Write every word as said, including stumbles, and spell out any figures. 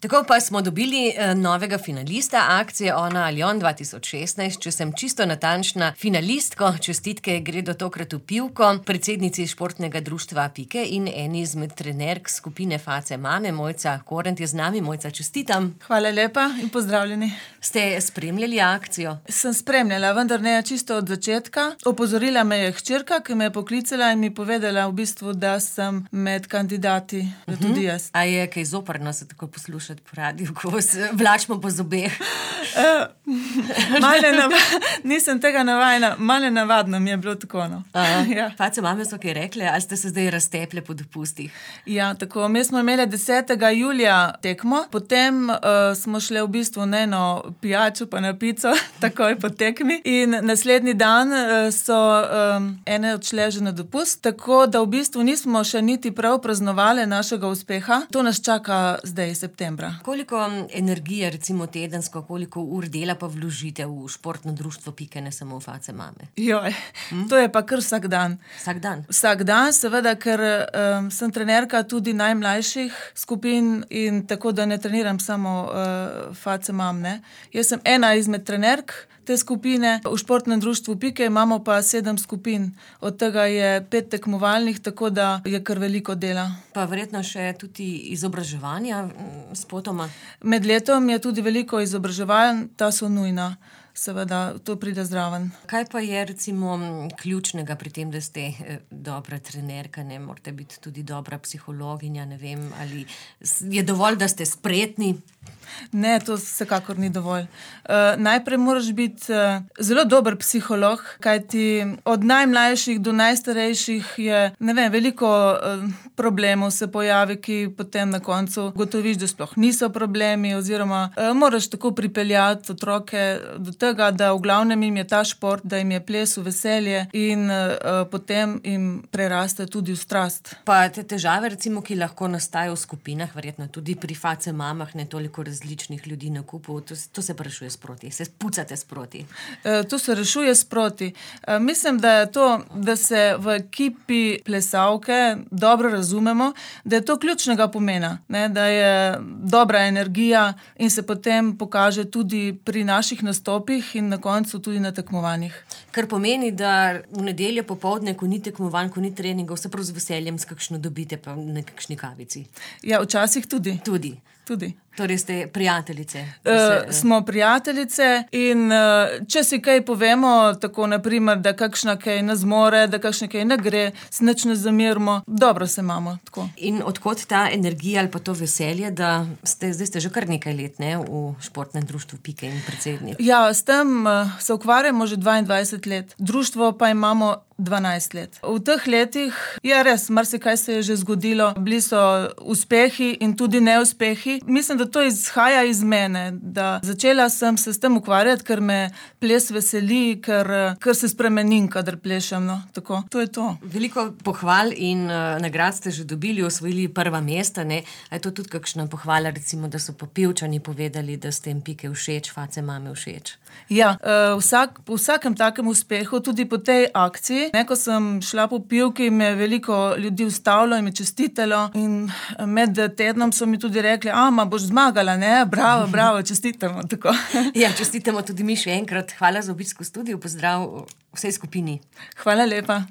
Tako pa smo dobili eh, novega finalista akcije Ona ali on dva tisoč šestnajst. Če sem čisto natančna, finalistko čestitke gredo tokrat v Pivko, predsednici športnega društva Pike in eni izmed trenerk skupine Face mame, Mojca Korent je z nami. Mojca, čestitam. Hvala lepa in pozdravljeni. Ste spremljali akcijo? Sem spremljala, vendar ne čisto od začetka. Opozorila me je hčerka, ki me je poklicala in mi povedala v bistvu, da sem med kandidati, da uh-huh. tudi jaz. A je kaj zoprno se tako poslušati po radiju, ko se vlačimo po zobeh? Uh, malo nav... Nisem tega navajena, malo navadno mi je bilo tako. No. Ja. Face mame so kaj rekle, ali ste se zdaj razteple po dopustih? Ja, tako. Mi smo imeli desetega julija tekmo, potem uh, smo šli v bistvu na eno pijačo pa na pico, takoj po tekmi. In naslednji dan uh, so um, ene odšle že na dopust, tako da v bistvu nismo še niti prav praznovali našega uspeha. To nas čaka zdaj septembra. Koliko energije, recimo tedensko, koliko ur dela pa vložite v športno društvo Pike, ne samo v Face mame? Joj, hm? To je pa kar vsak dan. Vsak dan? Vsak dan, seveda, ker um, sem trenerka tudi najmlajših skupin in tako, da ne treniram samo uh, Face mam, ne. Jaz sem ena izmed trenerk te skupine. V športnem društvu Pike imamo pa sedem skupin. Od tega je pet tekmovalnih, tako da je kar veliko dela. Pa verjetno še tudi izobraževanja spotoma? Med letom je tudi veliko izobraževanj, ta so nujna. Seveda, to pride zraven. Kaj pa je recimo ključnega pri tem, da ste dobra trenerka, ne morate biti tudi dobra psihologinja, ne vem, ali je dovolj, da ste spretni? Ne, to vsekakor ni dovolj. Uh, najprej moraš biti uh, zelo dober psiholog, kajti od najmlajših do najstarejših je, ne vem, veliko uh, problemov se pojavi, ki potem na koncu gotoviš, da sploh niso problemi, oziroma uh, moraš tako pripeljati otroke do tega, da v glavnem jim je ta šport, da jim je ples v veselje in uh, potem jim preraste tudi v strast. Pa te težave, recimo, ki lahko nastajajo v skupinah, verjetno tudi pri Face mamah, ne toliko različnih ljudi na kupu, to, to se pa rešuje sproti, se pucate sproti. E, to se rešuje sproti. E, mislim, da je to, da se v ekipi plesalke dobro razumemo, da je to ključnega pomena, ne? Da je dobra energija in se potem pokaže tudi pri naših nastopih in na koncu tudi na tekmovanjih. Kar pomeni, da v nedeljo popoldne, ko ni tekmovanj, ko ni treningov, se prav z veseljem s kakšno dobite pa na kakšni kavici. Ja, včasih tudi. Tudi. Tudi. Torej ste prijateljice? Uh, se, smo prijateljice in uh, če si kaj povemo, tako naprimer, da kakšna kaj ne zmore, da kakšna kaj ne gre, se nič ne zamirimo, dobro se imamo. Tako. In odkot ta energija ali pa to veselje, da ste, zdaj ste že kar nekaj let, ne, v športnem društvu Pike in predsednik? Ja, s tem uh, se ukvarjamo že dvaindvajset let. Društvo pa imamo dvanajst let. V teh letih je res, marsikaj se je že zgodilo, bili so uspehi in tudi neuspehi. Mislim, da to izhaja iz mene, da začela sem se s tem ukvarjati, ker me ples veseli, ker, ker se spremenim, kadar plešem, no, tako. To je to. Veliko pohval in uh, nagrad ste že dobili, osvojili prva mesta, ne? A je to tudi kakšna pohvala, recimo, da so pa Pivčani povedali, da ste jim Pike všeč, Face mame všeč? Ja, uh, vsak, po vsakem takem uspehu, tudi po tej akciji, ne, ko sem šla po Pivki, me je veliko ljudi ustavilo in me čestitalo in med tednom so mi tudi rekli, a, ma boš zmagala, ne, bravo, bravo, čestitamo, tako. Ja, čestitamo tudi mi še enkrat. Hvala za obisk v studiu, pozdrav vsej skupini. Hvala lepa.